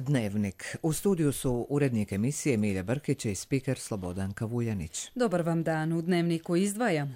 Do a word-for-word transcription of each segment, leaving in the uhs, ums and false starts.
Dnevnik. U studiju su urednik emisije Milja Brkić i spiker Slobodan Kavuljanić. Dobar vam dan, u Dnevniku izdvajamo.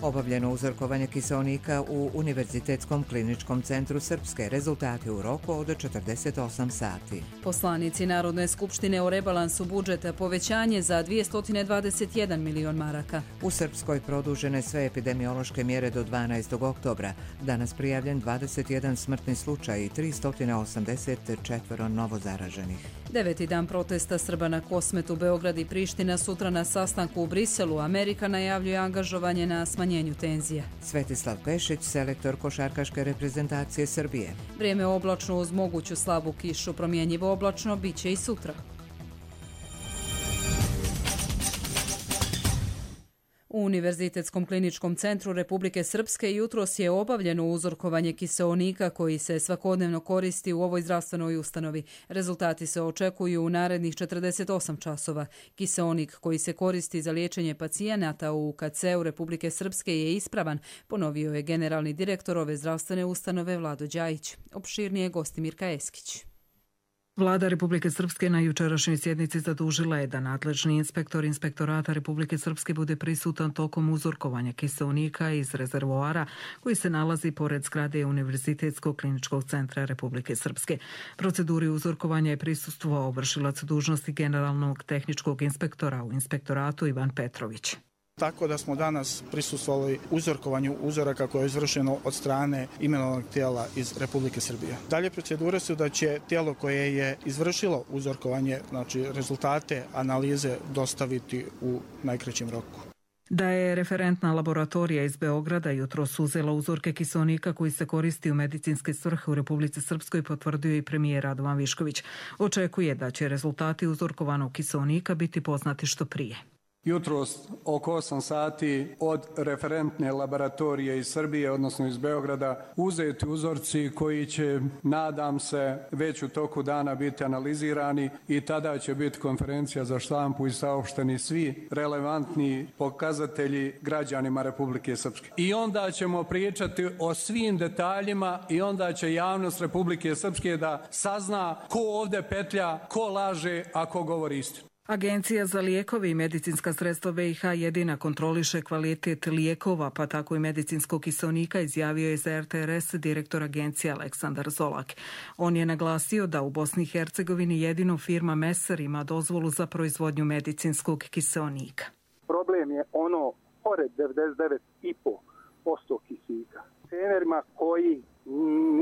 Obavljeno uzorkovanje kiseonika u Univerzitetskom kliničkom centru Srpske. Rezultati u roku od četrdeset osam sati. Poslanici Narodne skupštine o rebalansu budžeta povećanje za dvjesto dvadeset jedan milion maraka. U Srpskoj produžene sve epidemiološke mjere do dvanaestog oktobra. Danas prijavljen dvadeset jedan smrtni slučaj i tristo osamdeset četiri novozaraženih. Deveti dan protesta Srba na Kosmetu, Beograd i Priština, sutra na sastanku u Briselu. Amerika najavljuje angažovanje na smanjenju tenzija. Svetislav Pešić, selektor košarkaške reprezentacije Srbije. Vrijeme oblačno uz moguću slabu kišu, promjenjivo oblačno biće i sutra. U Univerzitetskom kliničkom centru Republike Srpske jutros je obavljeno uzorkovanje kiseonika koji se svakodnevno koristi u ovoj zdravstvenoj ustanovi. Rezultati se očekuju u narednih četrdeset osam časova. Kiseonik koji se koristi za liječenje pacijenata u U K C-u Republike Srpske je ispravan, ponovio je generalni direktor ove zdravstvene ustanove Vlado Đajić. Opširnije gosti Mirka Eskić. Vlada Republike Srpske na jučerašnjoj sjednici zadužila je da nadležni inspektor Inspektorata Republike Srpske bude prisutan tokom uzorkovanja kiseonika iz rezervoara koji se nalazi pored zgrade Univerzitetskog kliničkog centra Republike Srpske. Proceduri uzorkovanja je prisustvovao vršilac dužnosti generalnog tehničkog inspektora u inspektoratu Ivan Petrović. Tako da smo danas prisustvovali uzorkovanju uzoraka koje je izvršeno od strane imenovanog tijela iz Republike Srbije. Dalje procedure su da će tijelo koje je izvršilo uzorkovanje, znači rezultate analize, dostaviti u najkraćem roku. Da je referentna laboratorija iz Beograda jutros uzela uzorke kiseonika koji se koristi u medicinske svrhe u Republici Srpskoj, potvrdio i premijer Radovan Višković. Očekuje da će rezultati uzorkovanog kiseonika biti poznati što prije. Jutros oko osam sati od referentne laboratorije iz Srbije, odnosno iz Beograda, uzeti uzorci koji će, nadam se, već u toku dana biti analizirani i tada će biti konferencija za štampu i saopšteni svi relevantni pokazatelji građanima Republike Srpske. I onda ćemo pričati o svim detaljima i onda će javnost Republike Srpske da sazna ko ovdje petlja, ko laže, a ko govori istinu. Agencija za lijekove i medicinska sredstva B i H jedina kontroliše kvalitet lijekova, pa tako i medicinskog kiseonika, izjavio je za R T R S direktor agencije Aleksandar Zolak. On je naglasio da u Bosni i Hercegovini jedino firma Meser ima dozvolu za proizvodnju medicinskog kiseonika. Problem je ono pored devedeset devet zarez pet posto kisika. Trenerima koji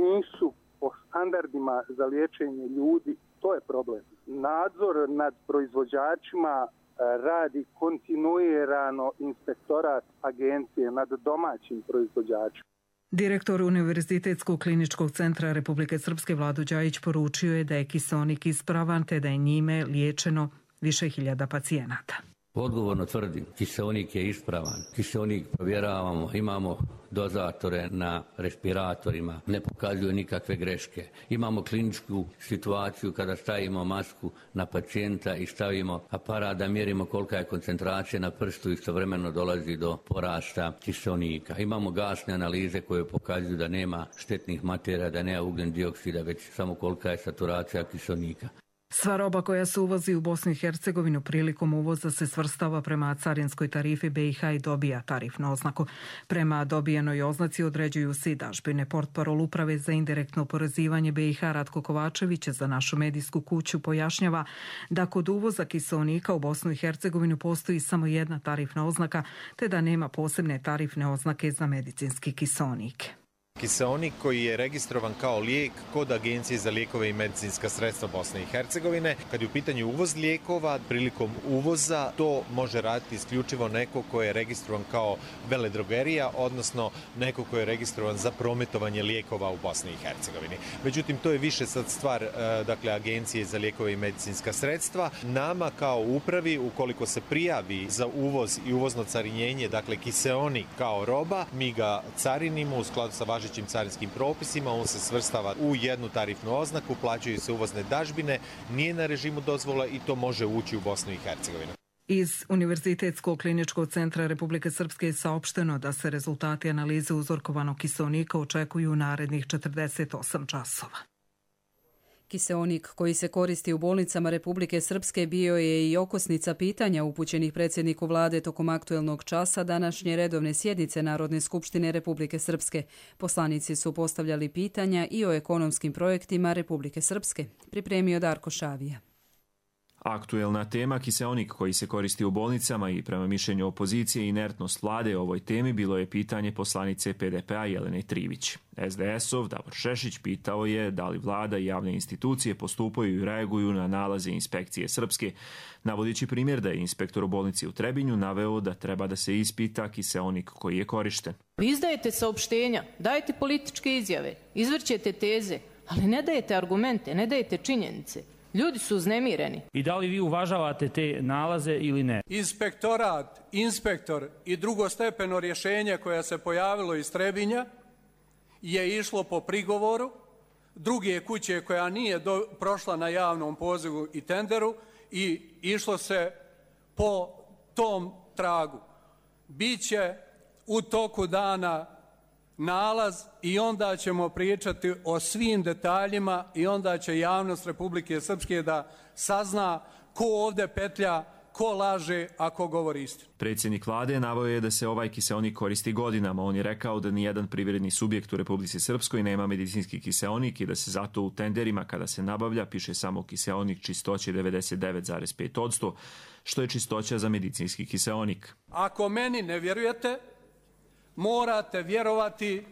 nisu po standardima za liječenje ljudi, to je problem. Nadzor nad proizvođačima radi kontinuirano inspektorat agencije nad domaćim proizvođačima. Direktor Univerzitetskog kliničkog centra Republike Srpske Vlado Đajić poručio je da je kiseonik ispravan te da je njime liječeno više hiljada pacijenata. Odgovorno tvrdim, kiseonik je ispravan. Kiseonik provjeravamo, imamo dozatore na respiratorima, ne pokazuju nikakve greške. Imamo kliničku situaciju kada stavimo masku na pacijenta i stavimo aparat da mjerimo kolika je koncentracija na prstu, istovremeno dolazi do porasta kiseonika. Imamo gasne analize koje pokazuju da nema štetnih materija, da nema ugljen dioksida, već samo kolika je saturacija kiseonika. Sva roba koja se uvozi u Bosnu i Hercegovinu prilikom uvoza se svrstava prema carinskoj tarifi B i H i dobija tarifnu oznaku. Prema dobijenoj oznaci određuju se i dažbine. Portparol Uprave za indirektno oporezivanje B i H Ratko Kovačević za našu medijsku kuću pojašnjava da kod uvoza kiseonika u Bosnu i Hercegovinu postoji samo jedna tarifna oznaka, te da nema posebne tarifne oznake za medicinski kiseonik. Kiseonik koji je registrovan kao lijek kod Agencije za lijekove i medicinska sredstva Bosne i Hercegovine. Kad je u pitanju uvoz lijekova, prilikom uvoza to može raditi isključivo neko ko je registrovan kao veledrogerija, odnosno neko ko je registrovan za prometovanje lijekova u Bosni i Hercegovini. Međutim, to je više sad stvar dakle, Agencije za lijekove i medicinska sredstva. Nama kao upravi, ukoliko se prijavi za uvoz i uvozno carinjenje, dakle kiseonik kao roba, mi ga carinimo u skladu sa važećim carinskim propisima, on se svrstava u jednu tarifnu oznaku, plaćaju se uvozne dažbine, nije na režimu dozvola i to može ući u Bosnu i Hercegovinu. Iz Univerzitetskog kliničkog centra Republike Srpske je saopšteno da se rezultati analize uzorkovanog kiseonika očekuju u narednih četrdeset osam časova. Kiseonik koji se koristi u bolnicama Republike Srpske bio je i okosnica pitanja upućenih predsjedniku vlade tokom aktuelnog časa današnje redovne sjednice Narodne skupštine Republike Srpske. Poslanici su postavljali pitanja i o ekonomskim projektima Republike Srpske. Pripremio Darko Šavija. Aktuelna tema kiseonik koji se koristi u bolnicama i prema mišljenju opozicije inertnost vlade o ovoj temi bilo je pitanje poslanice P D P-a Jelene Trivić. S D S-ov Davor Šešić pitao je da li vlada i javne institucije postupaju i reaguju na nalaze inspekcije Srpske, navodići primjer da je inspektor u bolnici u Trebinju naveo da treba da se ispita kiseonik koji je korišten. Vi izdajete saopštenja, dajete političke izjave, izvrćete teze, ali ne dajete argumente, ne dajete činjenice. Ljudi su uznemireni. I da li vi uvažavate te nalaze ili ne? Inspektorat, inspektor i drugostepeno rješenje koje se pojavilo iz Trebinja je išlo po prigovoru druge kuće koja nije do, prošla na javnom pozivu i tenderu i išlo se po tom tragu. Biće u toku dana nalaz i onda ćemo pričati o svim detaljima i onda će javnost Republike Srpske da sazna ko ovdje petlja, ko laže, a ko govori istinu. Predsjednik vlade naveo je da se ovaj kiseonik koristi godinama. On je rekao da nijedan privredni subjekt u Republici Srpskoj nema medicinski kiseonik i da se zato u tenderima kada se nabavlja piše samo kiseonik čistoće devedeset devet zarez pet posto, što je čistoća za medicinski kiseonik. Ako meni ne vjerujete, morate vjerovati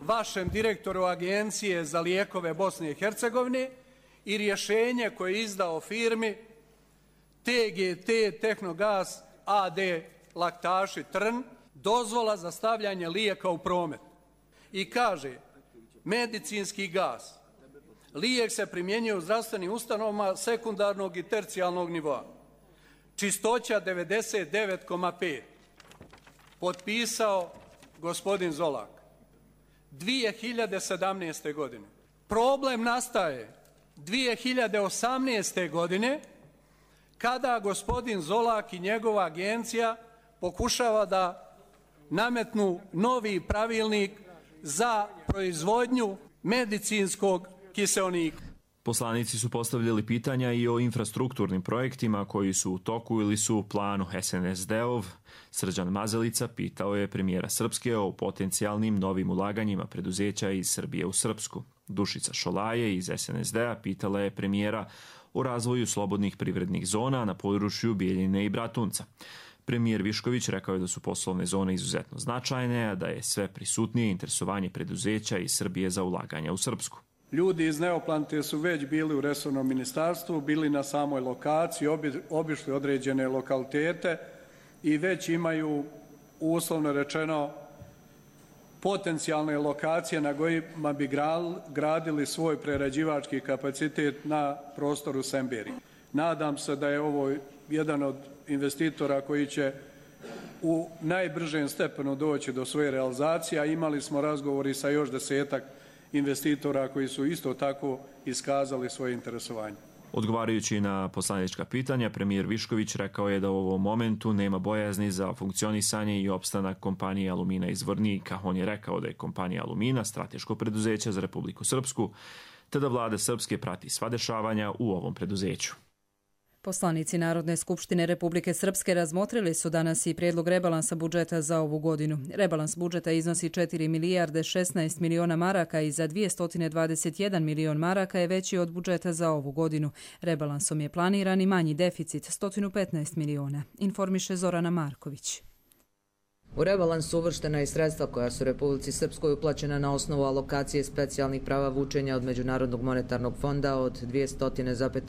vašem direktoru Agencije za lijekove Bosne i Hercegovine i rješenje koje je izdao firmi T G T Tehnogas A D Laktaši Trn, dozvola za stavljanje lijeka u promet. I kaže, medicinski gas, lijek se primjenjuje u zdravstvenim ustanovama sekundarnog i tercijalnog nivoa. Čistoća devedeset devet zarez pet. Potpisao gospodin Zolak. dvije hiljade sedamnaeste. godine. Problem nastaje dvije hiljade osamnaeste. godine kada gospodin Zolak i njegova agencija pokušava da nametnu novi pravilnik za proizvodnju medicinskog kiseonika. Poslanici su postavljali pitanja i o infrastrukturnim projektima koji su u toku ili su u planu. S N S D-ov Srđan Mazalica pitao je premijera Srpske o potencijalnim novim ulaganjima preduzeća iz Srbije u Srpsku. Dušica Šolaje iz S N S D-a pitala je premijera o razvoju slobodnih privrednih zona na području Bijeljine i Bratunca. Premijer Višković rekao je da su poslovne zone izuzetno značajne, a da je sve prisutnije interesovanje preduzeća iz Srbije za ulaganja u Srpsku. Ljudi iz Neoplante su već bili u resornom ministarstvu, bili na samoj lokaciji, obi, obišli određene lokalitete i već imaju, uslovno rečeno, potencijalne lokacije na kojima bi gradili svoj prerađivački kapacitet na prostoru Semberi. Nadam se da je ovo jedan od investitora koji će u najbržem stepenu doći do svoje realizacije, a imali smo razgovori sa još desetak investitora koji su isto tako iskazali svoje interesovanje. Odgovarajući na poslanička pitanja, premijer Višković rekao je da u ovom momentu nema bojazni za funkcionisanje i opstanak kompanije Alumina iz Vornika. On je rekao da je kompanija Alumina strateško preduzeće za Republiku Srpsku, te da vlada Srpske prati sva dešavanja u ovom preduzeću. Poslanici Narodne skupštine Republike Srpske razmotrili su danas i prijedlog rebalansa budžeta za ovu godinu. Rebalans budžeta iznosi četiri milijarde šesnaest miliona maraka i za dvjesto dvadeset jedan milion maraka je veći od budžeta za ovu godinu. Rebalansom je planiran i manji deficit, sto petnaest miliona, informiše Zorana Marković. U rebalansu uvrštena je sredstva koja su Republici Srpskoj uplaćena na osnovu alokacije specijalnih prava vučenja od Međunarodnog monetarnog fonda od dvjesto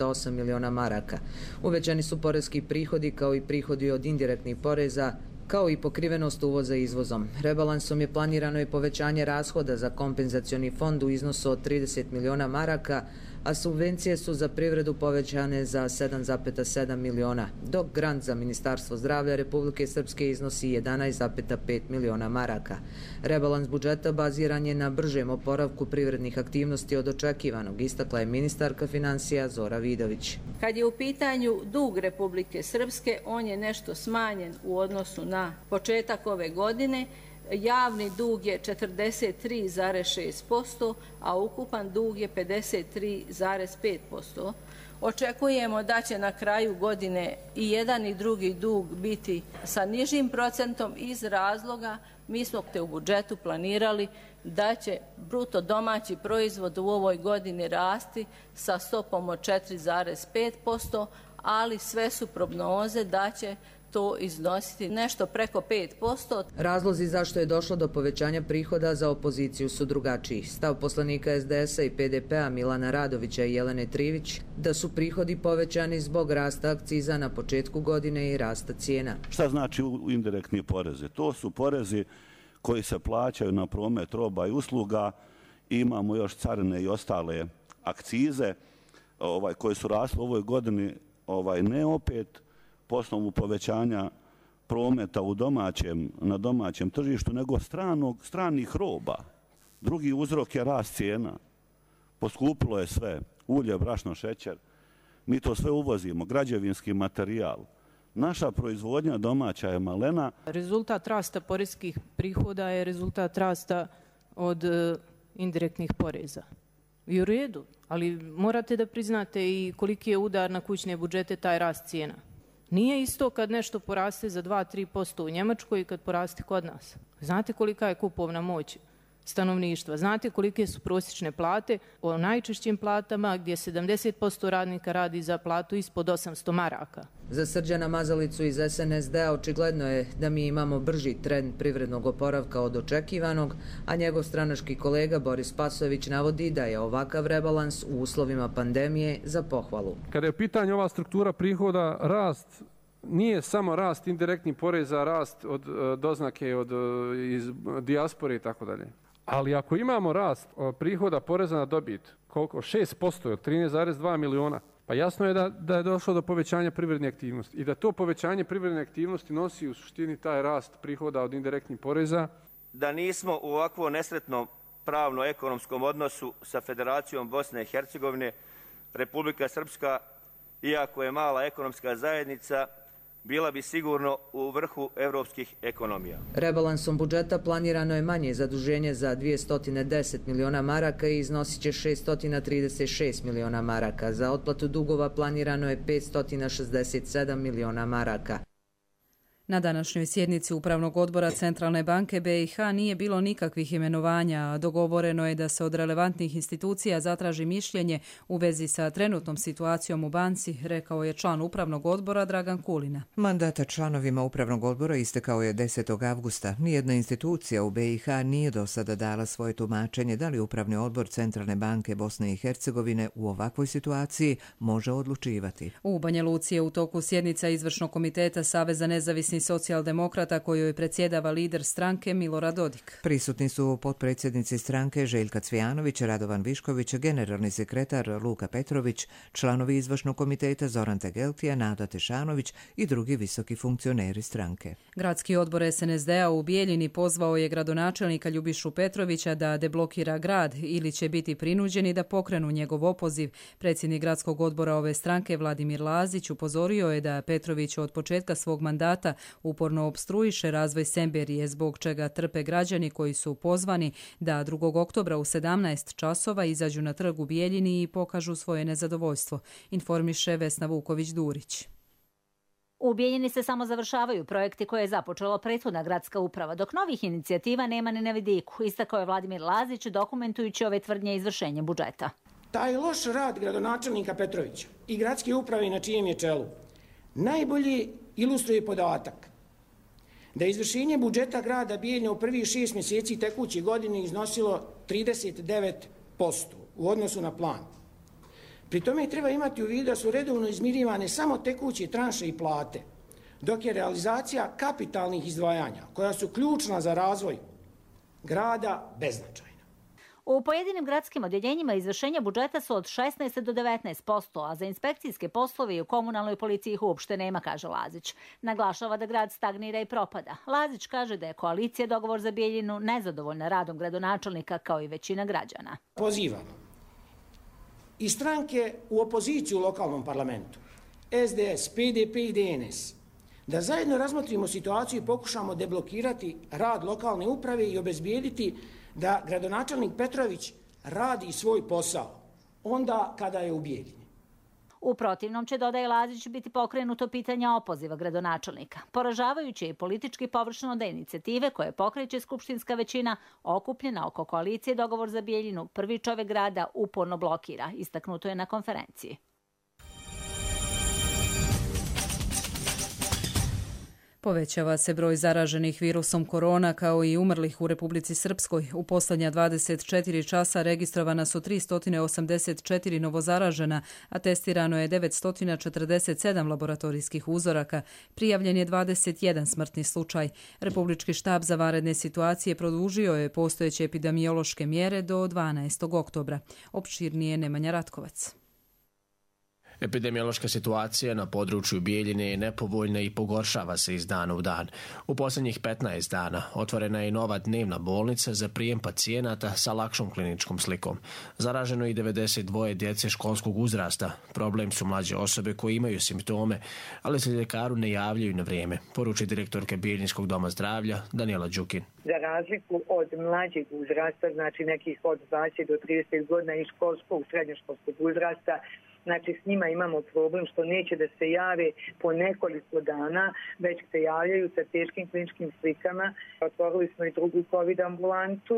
osam miliona maraka. Uvećani su poreski prihodi kao i prihodi od indirektnih poreza, kao i pokrivenost uvoza izvozom. Rebalansom je planirano i povećanje rashoda za kompenzacioni fond u iznosu od trideset miliona maraka, a subvencije su za privredu povećane za sedam zarez sedam miliona, dok grant za Ministarstvo zdravlja Republike Srpske iznosi jedanaest zarez pet miliona maraka. Rebalans budžeta baziran je na bržem oporavku privrednih aktivnosti od očekivanog, istakla je ministarka financija Zora Vidović. Kad je u pitanju dug Republike Srpske, on je nešto smanjen u odnosu na početak ove godine. Javni dug je četrdeset tri zarez šest posto, a ukupan dug je pedeset tri zarez pet posto. Očekujemo da će na kraju godine i jedan i drugi dug biti sa nižim procentom iz razloga mi smo te u budžetu planirali da će bruto domaći proizvod u ovoj godini rasti sa stopom od četiri zarez pet posto, ali sve su prognoze da će to iznositi nešto preko pet posto. Razlozi zašto je došlo do povećanja prihoda za opoziciju su drugačiji. Stav poslanika es de es a i pe de pe a Milana Radovića i Jelene Trivić da su prihodi povećani zbog rasta akciza na početku godine i rasta cijena. Šta znači indirektni porezi? To su porezi koji se plaćaju na promet roba i usluga. Imamo još carine i ostale akcize ovaj, koje su rasle u ovoj godini, ovaj, ne opet po osnovu povećanja prometa u domaćem, na domaćem tržištu, nego stranog, stranih roba. Drugi uzrok je rast cijena. Poskupilo je sve. Ulje, brašno, šećer. Mi to sve uvozimo. Građevinski materijal. Naša proizvodnja domaća je malena. Rezultat rasta poreskih prihoda je rezultat rasta od e, indirektnih poreza. I u redu, ali morate da priznate i koliki je udar na kućne budžete taj rast cijena. Nije isto kad nešto poraste za dva do tri posto u Njemačkoj i kad poraste kod nas. Znate kolika je kupovna moć stanovništva, znate kolike su prosječne plate o najčešćim platama gdje sedamdeset posto radnika radi za platu ispod osamsto maraka. Za Srđana Mazalicu iz es en es de a očigledno je da mi imamo brži trend privrednog oporavka od očekivanog, a njegov stranački kolega Boris Pasović navodi da je ovakav rebalans u uslovima pandemije za pohvalu. Kada je u pitanju ova struktura prihoda, rast nije samo rast indirektnih poreza, rast od doznake od iz dijaspore i tako dalje. Ali ako imamo rast prihoda poreza na dobit, koliko? šest posto od trinaest zarez dva miliona, pa jasno je da, da je došlo do povećanja privredne aktivnosti i da to povećanje privredne aktivnosti nosi u suštini taj rast prihoda od indirektnih poreza. Da nismo u ovakvo nesretnom pravno-ekonomskom odnosu sa Federacijom Bosne i Hercegovine, Republika Srpska, iako je mala ekonomska zajednica, bila bi sigurno u vrhu evropskih ekonomija. Rebalansom budžeta planirano je manje zaduženje za dvjesto deset miliona maraka i iznosit će šeststo trideset šest miliona maraka. Za otplatu dugova planirano je petsto šezdeset sedam miliona maraka. Na današnjoj sjednici Upravnog odbora Centralne banke be i ha nije bilo nikakvih imenovanja, a dogovoreno je da se od relevantnih institucija zatraži mišljenje u vezi sa trenutnom situacijom u banci, rekao je član Upravnog odbora Dragan Kulina. Mandata članovima Upravnog odbora istekao je desetog avgusta. Nijedna institucija u be i ha nije do sada dala svoje tumačenje da li Upravni odbor Centralne banke Bosne i Hercegovine u ovakvoj situaciji može odlučivati. U Banja Luci je u toku sjednica Izvršnog komiteta Saveza nezavisnih socijaldemokrata kojoj predsjedava lider stranke Milorad Dodik. Prisutni su potpredsjednici stranke Željka Cvijanović, Radovan Višković, generalni sekretar Luka Petrović, članovi Izvršnog komiteta Zoran Tegeltija, Nada Tešanović i drugi visoki funkcioneri stranke. Gradski odbor es en es de a u Bijeljini pozvao je gradonačelnika Ljubišu Petrovića da deblokira grad ili će biti prinuđeni da pokrenu njegov opoziv. Predsjednik gradskog odbora ove stranke Vladimir Lazić upozorio je da Petrović od početka svog mandata uporno opstruiše razvoj Semberije, zbog čega trpe građani koji su pozvani da drugog oktobra u sedamnaest časova izađu na trg u Bijeljini i pokažu svoje nezadovoljstvo, informiše Vesna Vuković-Durić. U Bijeljini se samo završavaju projekti koje je započela prethodna gradska uprava, dok novih inicijativa nema ni na vidiku, istakao je Vladimir Lazić dokumentujući ove tvrdnje izvršenja budžeta. Taj loš rad gradonačelnika Petrovića i gradske uprave na čijem je čelu najbolje ilustruje podatak da je izvršenje budžeta grada Bijeljina u prvih šest mjeseci tekuće godine iznosilo trideset devet posto u odnosu na plan. Pri tome treba imati u vidu da su redovno izmirivane samo tekuće tranše i plate, dok je realizacija kapitalnih izdvajanja, koja su ključna za razvoj grada, beznačajna. U pojedinim gradskim odjeljenjima izvršenja budžeta su od šesnaest do devetnaest posto, a za inspekcijske poslove i u komunalnoj policiji ih uopšte nema, kaže Lazić. Naglašava da grad stagnira i propada. Lazić kaže da je koalicija Dogovor za Bijeljinu nezadovoljna radom gradonačelnika kao i većina građana. Pozivamo i stranke u opoziciju u lokalnom parlamentu, S D S, P D P i D N S, da zajedno razmotrimo situaciju i pokušamo deblokirati rad lokalne uprave i obezbijediti da gradonačelnik Petrović radi svoj posao onda kada je u Bijeljini. U protivnom će, dodaje Lazić, biti pokrenuto pitanje opoziva gradonačelnika. Poražavajuće je i politički površno da inicijative koje pokreće skupštinska većina okupljena oko koalicije Dogovor za Bijeljinu prvi čovjek grada uporno blokira, istaknuto je na konferenciji. Povećava se broj zaraženih virusom korona kao i umrlih u Republici Srpskoj. U posljednja dvadeset četiri časa registrovana su tristo osamdeset četiri novozaražena, a testirano je devetsto četrdeset sedam laboratorijskih uzoraka. Prijavljen je dvadeset jedan smrtni slučaj. Republički štab za vanredne situacije produžio je postojeće epidemiološke mjere do dvanaestog oktobra. Opširnije Nemanja Ratkovac. Epidemiološka situacija na području Bijeljine je nepovoljna i pogoršava se iz dana u dan. U posljednjih petnaest dana otvorena je nova dnevna bolnica za prijem pacijenata sa lakšom kliničkom slikom. Zaraženo je i devedeset dva djece školskog uzrasta. Problem su mlađe osobe koje imaju simptome, ali se ljekaru ne javljaju na vrijeme, poruči direktorka Bijeljinskog doma zdravlja Danijela Đukin. Za razliku od mlađeg uzrasta, znači nekih od dvadeset do trideset godina i školskog, srednjoškolskog uzrasta, znači s njima imamo problem što neće da se jave po nekoliko dana, već se javljaju sa teškim kliničkim slikama. Otvorili smo i drugu COVID ambulantu,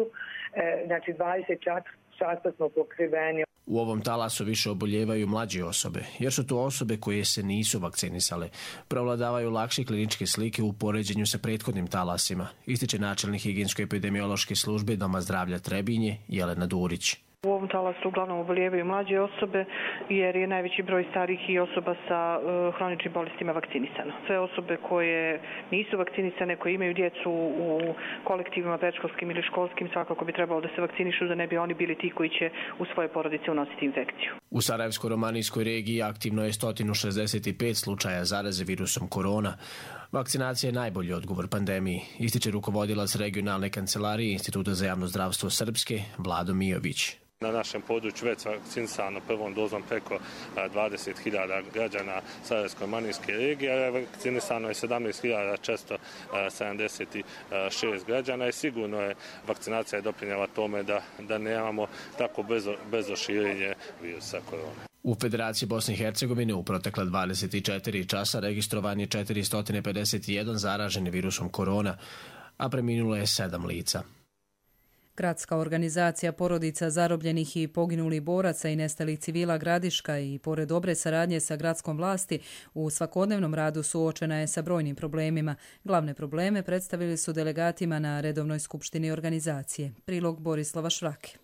znači dvadeset četiri časa smo pokriveni. U ovom talasu više oboljevaju mlađe osobe, jer su to osobe koje se nisu vakcinisale. Prevladavaju lakše kliničke slike u poređenju sa prethodnim talasima, ističe načelnik higijensko-epidemiološke službe Doma zdravlja Trebinje Jelena Durić. U ovom talasu uglavnom oboljevaju mlađe osobe jer je najveći broj starih i osoba sa uh, hroničnim bolestima vakcinisano. Sve osobe koje nisu vakcinisane, koje imaju djecu u kolektivima predškolskim ili školskim, svakako bi trebalo da se vakcinišu da ne bi oni bili ti koji će u svoje porodice unositi infekciju. U Sarajevsko-romanijskoj regiji aktivno je sto šezdeset pet slučaja zaraze virusom korona. Vakcinacija je najbolji odgovor pandemiji, ističe rukovodilac regionalne kancelarije Instituta za javno zdravstvo Srpske Vlado Mijović. Na našem području već vakcinisano prvom dozom preko dvadeset hiljada građana Sarajevsko-romanijske regije, a vakcinisano je sedamnaest hiljada četiristo sedamdeset šest građana i sigurno je vakcinacija doprinjela tome da, da nemamo tako brzo, brzo širenje virusa korona. U Federaciji Bosne i Hercegovine u protekla dvadeset četiri časa registrovan je četiristo pedeset jedan zaraženi virusom korona, a preminulo je sedam lica. Gradska organizacija porodica zarobljenih i poginulih boraca i nestalih civila Gradiška i pored dobre saradnje sa gradskom vlasti u svakodnevnom radu suočena je sa brojnim problemima. Glavne probleme predstavili su delegatima na redovnoj skupštini organizacije. Prilog Borislava Švrake.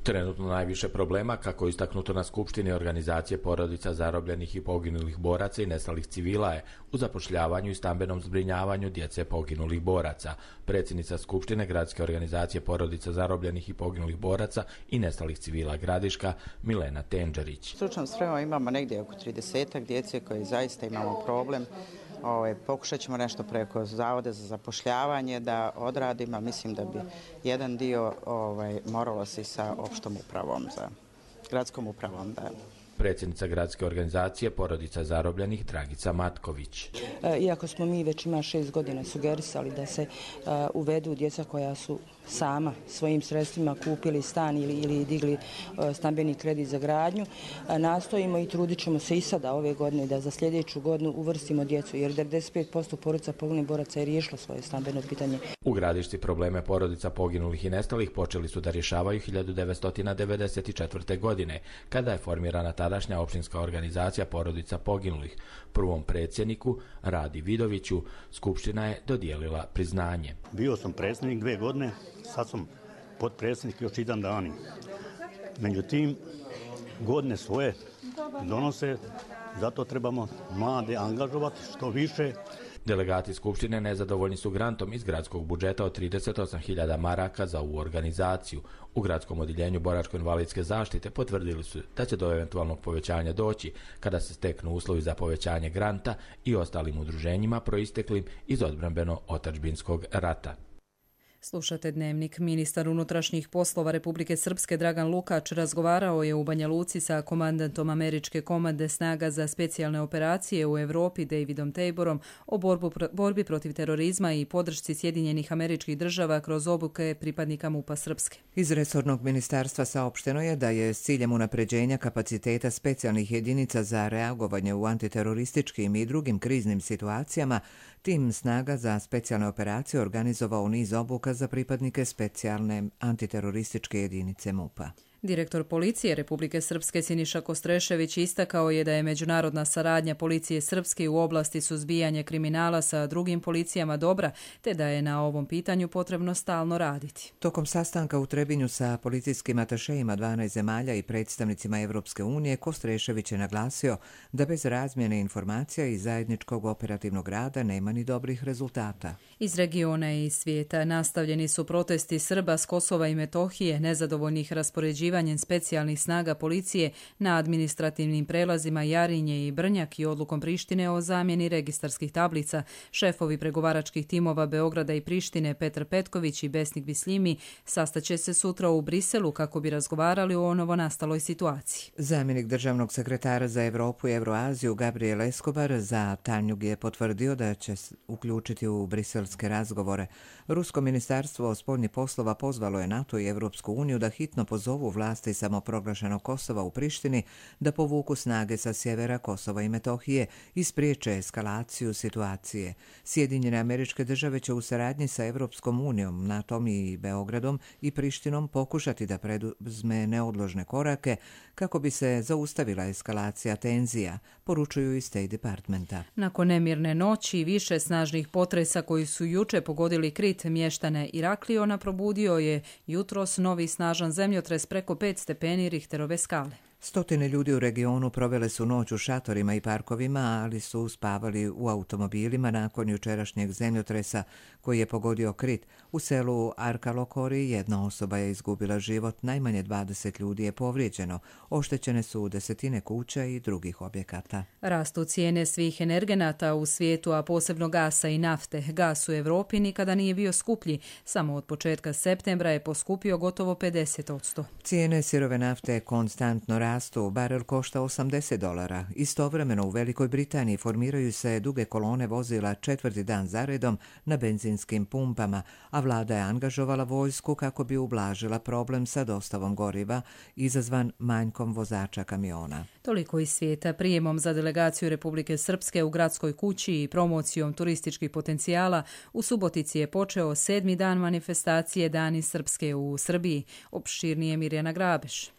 Trenutno najviše problema, kako je istaknuto na skupštini organizacije porodica zarobljenih i poginulih boraca i nestalih civila, je u zapošljavanju i stambenom zbrinjavanju djece poginulih boraca. Predsjednica skupštine gradske organizacije porodica zarobljenih i poginulih boraca i nestalih civila Gradiška Milena Tenđerić. Stručnom spremom imamo negdje oko tridesetak djece koje zaista imamo problem. Ove, pokušat ćemo nešto preko Zavoda za zapošljavanje da odradimo. Mislim da bi jedan dio ovaj, moralo se i sa opštom upravom, za gradskom upravom. Da. Predsjednica gradske organizacije porodica zarobljenih Dragica Matković. Iako smo mi već ima šest godina sugerisali da se uh, uvedu djeca koja su sama svojim sredstvima kupili stan ili, ili digli uh, stambeni kredit za gradnju, uh, nastojimo i trudit ćemo se i sada ove godine da za sljedeću godinu uvrstimo djecu, jer devedeset pet posto porodica poginulih boraca je riješilo svoje stambeno pitanje. U Gradišci probleme porodica poginulih i nestalih počeli su da rješavaju hiljadu devetsto devedeset četvrte. godine, kada je formirana tadašnja opštinska organizacija porodica poginulih. Prvom predsjedniku, Radi Vidoviću, skupština je dodijelila priznanje. Bio sam predsjednik dve godine, sad sam potpredsjednik još jedan dan. Međutim, godine svoje donose, zato trebamo mlade angažovati što više. Delegati Skupštine nezadovoljni su grantom iz gradskog budžeta od trideset osam hiljada maraka za ovu organizaciju. U gradskom odjeljenju boračko-invalidske zaštite potvrdili su da će do eventualnog povećanja doći kada se steknu uslovi za povećanje granta i ostalim udruženjima proisteklim iz odbrambeno-otadžbinskog rata. Slušate Dnevnik. Ministar unutrašnjih poslova Republike Srpske Dragan Lukač razgovarao je u Banja Luci sa komandantom američke komande snaga za specijalne operacije u Europi Davidom Taborom o borbu, borbi protiv terorizma i podršci Sjedinjenih Američkih Država kroz obuke pripadnika MUP-a Srpske. Iz resornog ministarstva saopšteno je da je s ciljem unapređenja kapaciteta specijalnih jedinica za reagovanje u antiterorističkim i drugim kriznim situacijama tim snaga za specijalne operacije organizovao niz obuka za pripadnike specijalne antiterorističke jedinice MUP-a. Direktor policije Republike Srpske Siniša Kostrešević istakao je da je međunarodna saradnja policije Srpske u oblasti suzbijanja kriminala sa drugim policijama dobra, te da je na ovom pitanju potrebno stalno raditi. Tokom sastanka u Trebinju sa policijskim atašejima dvanaest zemalja i predstavnicima Evropske unije, Kostrešević je naglasio da bez razmjene informacija i zajedničkog operativnog rada nema ni dobrih rezultata. Iz regiona i svijeta nastavljeni su protesti Srba s Kosova i Metohije, nezadovoljnih raspoređivanjem specijalnih snaga policije na administrativnim prelazima Jarinje i Brnjak i odlukom Prištine o zamjeni registarskih tablica. Šefovi pregovaračkih timova Beograda i Prištine Petar Petković i Besnik Bislimi sastaće se sutra u Briselu kako bi razgovarali o novonastaloj situaciji. Zamjenik državnog sekretara za Evropu i Evroaziju Gabriel Escobar za Tanjug je potvrdio da će uključiti u briselske razgovore. Rusko ministarstvo spoljnih poslova pozvalo je NATO i Evropsku uniju da hitno pozovu vlasti samoproglašenog Kosova u Prištini da povuku snage sa sjevera Kosova i Metohije i spriječe eskalaciju situacije. Sjedinjene Američke Države će u saradnji sa Evropskom unijom, NATO-om i Beogradom i Prištinom pokušati da preduzme neodložne korake kako bi se zaustavila eskalacija tenzija, poručuju iz State Departmenta. Nakon nemirne noći i više snažnih potresa koji su juče pogodili Krit, mještane Irakliona, probudio je jutros novi snažan zemljotres preko pet stepeni Richterove skale. Stotine ljudi u regionu provele su noć u šatorima i parkovima, ali su spavali u automobilima nakon jučerašnjeg zemljotresa koji je pogodio Krit. U selu Arkalokori jedna osoba je izgubila život, najmanje dvadeset ljudi je povrijeđeno. Oštećene su desetine kuća i drugih objekata. Rastu cijene svih energenata u svijetu, a posebno gasa i nafte. Gas u Evropi nikada nije bio skuplji. Samo od početka septembra je poskupio gotovo pedeset posto. Cijene sirove nafte konstantno rastu, barel košta osamdeset dolara. Istovremeno u Velikoj Britaniji formiraju se duge kolone vozila četvrti dan zaredom na benzinskim pumpama, a vlada je angažovala vojsku kako bi ublažila problem sa dostavom goriva izazvan manjkom vozača kamiona. Toliko iz svijeta. Prijemom za delegaciju Republike Srpske u gradskoj kući i promocijom turističkih potencijala u Subotici je počeo sedmi dan manifestacije Dani Srpske u Srbiji. Opširnije Mirjana Grabeš.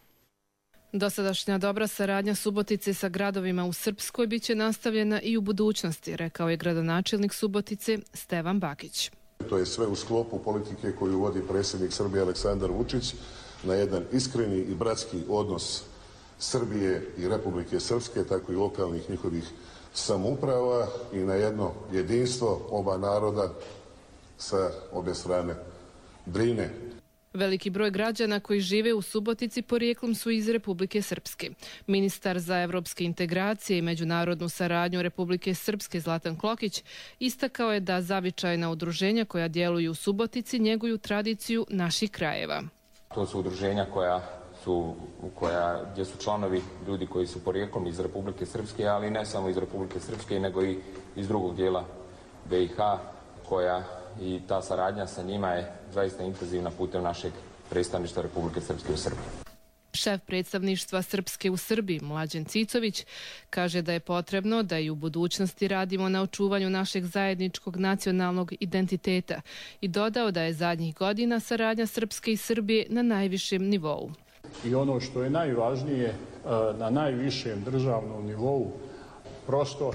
Dosadašnja dobra saradnja Subotice sa gradovima u Srpskoj biće nastavljena i u budućnosti, rekao je gradonačelnik Subotice Stevan Bakić. To je sve u sklopu politike koju vodi predsjednik Srbije Aleksandar Vučić na jedan iskreni i bratski odnos Srbije i Republike Srpske, tako i lokalnih njihovih samouprava i na jedno jedinstvo oba naroda sa obje strane Drine. Veliki broj građana koji žive u Subotici porijeklom su iz Republike Srpske. Ministar za evropske integracije i međunarodnu saradnju Republike Srpske Zlatan Klokić istakao je da zavičajna udruženja koja djeluju u Subotici njeguju tradiciju naših krajeva. To su udruženja koja su, koja, gdje su članovi ljudi koji su porijeklom iz Republike Srpske, ali ne samo iz Republike Srpske, nego i iz drugog dijela B i H, koja i ta saradnja sa njima je zaista intenzivna putem našeg predstavništva Republike Srpske u Srbiji. Šef predstavništva Srpske u Srbiji, Mlađan Cicović, kaže da je potrebno da i u budućnosti radimo na očuvanju našeg zajedničkog nacionalnog identiteta i dodao da je zadnjih godina saradnja Srpske i Srbije na najvišem nivou. I ono što je najvažnije, na najvišem državnom nivou, prosto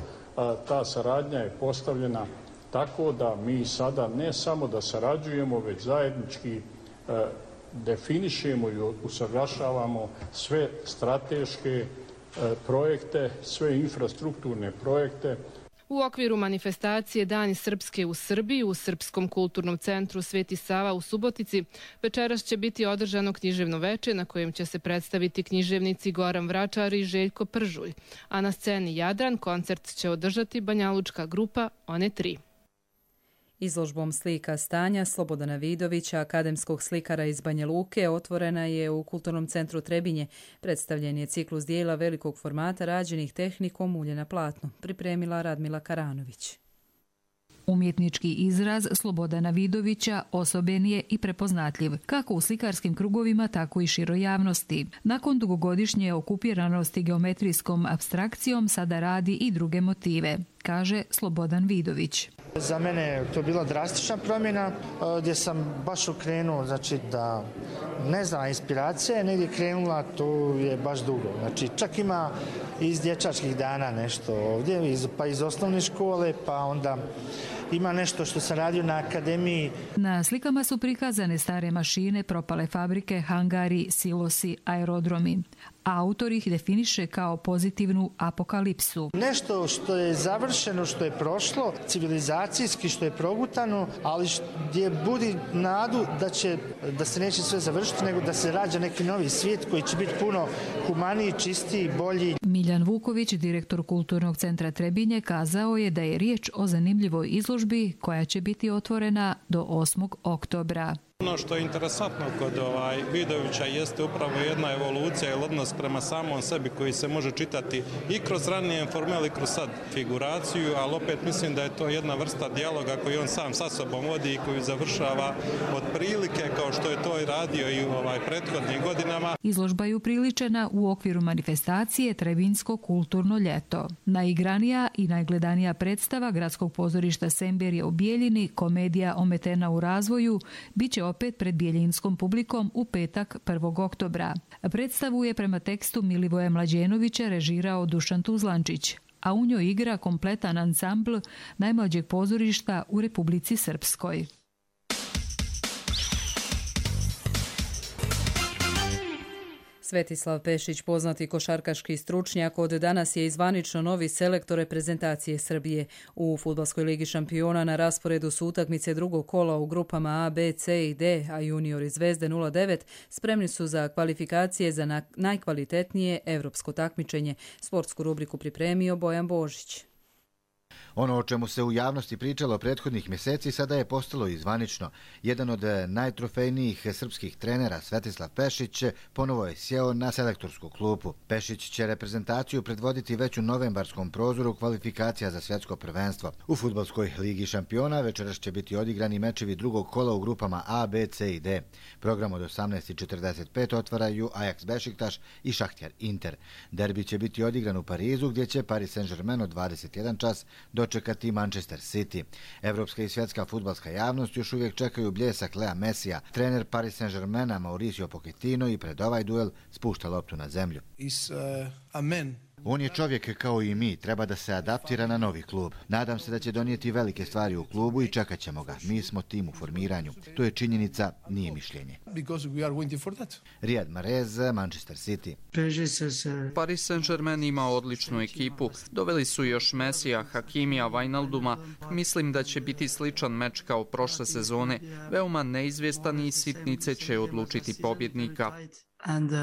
ta saradnja je postavljena tako da mi sada ne samo da sarađujemo, već zajednički definišemo i usaglašavamo sve strateške projekte, sve infrastrukturne projekte. U okviru manifestacije Dani Srpske u Srbiji u Srpskom kulturnom centru Sveti Sava u Subotici večeras će biti održano književno veče na kojem će se predstaviti književnici Goran Vračar i Željko Pržulj, a na sceni Jadran koncert će održati banjalučka grupa One tri. Izložbom slika stanja Slobodana Vidovića, akademskog slikara iz Banja Luke, otvorena je u Kulturnom centru Trebinje. Predstavljen je ciklus dijela velikog formata rađenih tehnikom ulje na platnu, pripremila Radmila Karanović. Umjetnički izraz Slobodana Vidovića osoben je i prepoznatljiv, kako u slikarskim krugovima, tako i široj javnosti. Nakon dugogodišnje okupiranosti geometrijskom apstrakcijom sada radi i druge motive, kaže Slobodan Vidović. Za mene je to bila drastična promjena gdje sam baš okrenuo, znači da ne znam, inspiracija je negdje krenula, to je baš dugo. Znači čak ima iz dječačkih dana nešto ovdje, iz, pa iz osnovne škole, pa onda ima nešto što sam radio na akademiji. Na slikama su prikazane stare mašine, propale fabrike, hangari, silosi, aerodromi. Autor ih definiše kao pozitivnu apokalipsu. Nešto što je završeno, što je prošlo, civilizacijski, što je progutano, ali gdje budi nadu da, će, da se neće sve završiti, nego da se rađa neki novi svijet koji će biti puno humaniji, čistiji, bolji. Miljan Vuković, direktor Kulturnog centra Trebinje, kazao je da je riječ o zanimljivoj izložbi koja će biti otvorena do osmog oktobra. Ono što je interesantno kod ovaj Vidovića jeste upravo jedna evolucija ili odnos prema samom sebi koji se može čitati i kroz ranije formel i kroz sad figuraciju, ali opet mislim da je to jedna vrsta dijaloga koji on sam sa sobom vodi i koji završava otprilike kao što je to i radio i u ovaj prethodnim godinama. Izložba je upriličena u okviru manifestacije Trebinjsko kulturno ljeto. Najigranija i najgledanija predstava Gradskog pozorišta Semberije u Bijeljini, komedija Ometena u razvoju, bit će opet pred bijeljinskom publikom u petak prvog oktobra. Predstavu je prema tekstu Milivoja Mlađenovića režirao Dušan Tuzlančić, a u njoj igra kompletan ansambl najmlađeg pozorišta u Republici Srpskoj. Svetislav Pešić, poznati košarkaški stručnjak, od danas je zvanično novi selektor reprezentacije Srbije. U Fudbalskoj ligi šampiona na rasporedu su utakmice drugog kola u grupama A, B, C i D, a juniori Zvezde nula devet spremni su za kvalifikacije za najkvalitetnije evropsko takmičenje. Sportsku rubriku pripremio Bojan Božić. Ono o čemu se u javnosti pričalo prethodnih mjeseci sada je postalo i zvanično. Jedan od najtrofejnijih srpskih trenera, Svetislav Pešić, ponovo je sjeo na selektorsku klupu. Pešić će reprezentaciju predvoditi već u novembarskom prozoru kvalifikacija za svjetsko prvenstvo. U Fudbalskoj ligi šampiona večeras će biti odigrani mečevi drugog kola u grupama A, B, C i D. Program od osamnaest i četrdeset pet otvaraju Ajax Bešiktaš i Šahtjar Inter. Derbi će biti odigran u Parizu, gdje će Paris Saint-Germain od dvadeset jedan čas dočekati Manchester City. Evropska i svjetska fudbalska javnost još uvijek čekaju bljesak Lea Messija. Trener Paris Saint-Germaina Mauricio Pochettino i pred ovaj duel spušta loptu na zemlju. Is uh, a man. On je čovjek kao i mi, treba da se adaptira na novi klub. Nadam se da će donijeti velike stvari u klubu i čekat ćemo ga. Mi smo tim u formiranju. To je činjenica, nije mišljenje. Riyad Mahrez, Manchester City. Paris Saint-Germain ima odličnu ekipu. Doveli su još Messija, Hakimija, Wijnalduma. Mislim da će biti sličan meč kao prošle sezone. Veoma neizvjestan i sitnice će odlučiti pobjednika. And uh,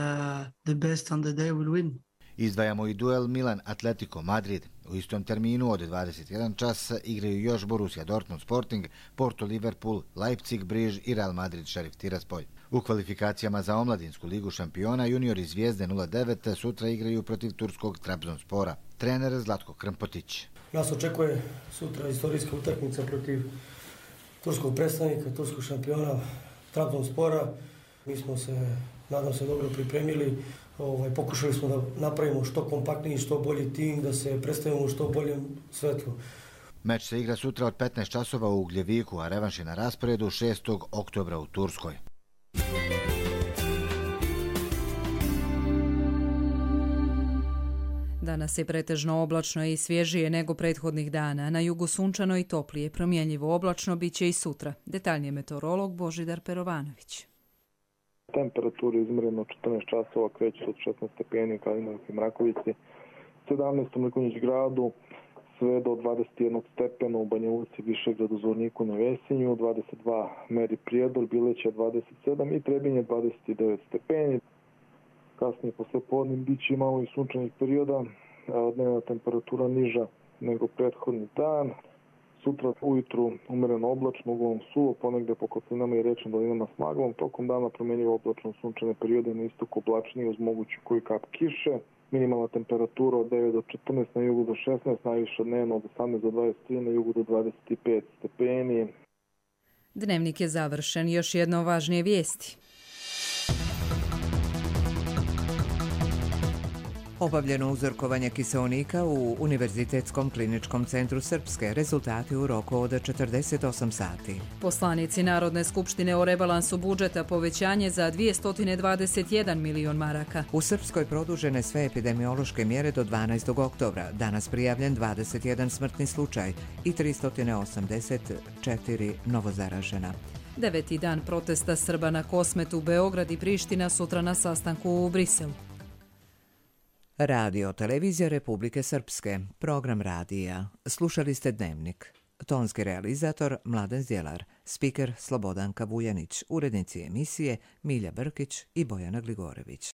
the best on the day will win. Izdvajamo i duel Milan-Atletico Madrid. U istom terminu od dvadeset jedan čas igraju još Borussia Dortmund Sporting, Porto Liverpool, Leipzig Briž i Real Madrid Šerif Tiraspolj. U kvalifikacijama za omladinsku ligu šampiona juniori Zvijezde nula devet sutra igraju protiv turskog Trabzonspora. Trener Zlatko Krmpotić. Nas očekuje sutra istorijska utakmica protiv turskog predstavnika, turskog šampiona Trabzonspora. Mi smo se, nadam se, dobro pripremili. Ovaj, pokušali smo da napravimo što kompaktniji, što bolji tim, da se predstavimo u što boljem svetlu. Meč se igra sutra od petnaest časova u Ugljeviku, a revanš je na rasporedu šestog oktobra u Turskoj. Danas je pretežno oblačno i svježije nego prethodnih dana. Na jugu sunčano i toplije, promjenjivo oblačno biće i sutra. Detaljnije meteorolog Božidar Perovanović. Temperatura izmjerena od četrnaest časova kreće od šesnaest stepeni u Kalinovoj Mrakovici, sedamnaest u Mrkonjić gradu, sve do dvadeset jedan stepena u Banja Luci, Višegradu, Zvorniku na Vesinju, dvadeset dva meri Prijedor, Bileća dvadeset sedam i Trebinje dvadeset devet stepeni. Kasnije posle podnim biće malo i sunčanih perioda, dnevna temperatura niža nego prethodni dan. Sutra ujutru umereno oblačno, uglavnom suvo, ponegde po kotlinama i rečnim dolinama s maglom. Tokom dana promenljivo oblačno sunčane periode, na istoku oblačnije uz moguću koju kap kiše. Minimalna temperatura od devet do četrnaest, na jugu do šesnaest, najviša dnevno od osamnaest do dvadeset tri, na jugu do dvadeset pet stepeni. Dnevnik je završen. Još jedno važnije vijesti. Obavljeno uzorkovanje kiseonika u Univerzitetskom kliničkom centru Srpske. Rezultati u roku od četrdeset osam sati. Poslanici Narodne skupštine o rebalansu budžeta povećanje za dvjesto dvadeset jedan milion maraka. U Srpskoj produžene sve epidemiološke mjere do dvanaestog oktobra. Danas prijavljen dvadeset jedan smrtni slučaj i tristo osamdeset četiri novozaražena. Deveti dan protesta Srba na Kosmetu, Beograd i Priština sutra na sastanku u Briselu. Radio Televizija Republike Srpske, program radija. Slušali ste Dnevnik. Tonski realizator Mladen Zjelar, spiker Slobodanka Vujanić, urednici emisije Milja Brkić i Bojana Gligorević.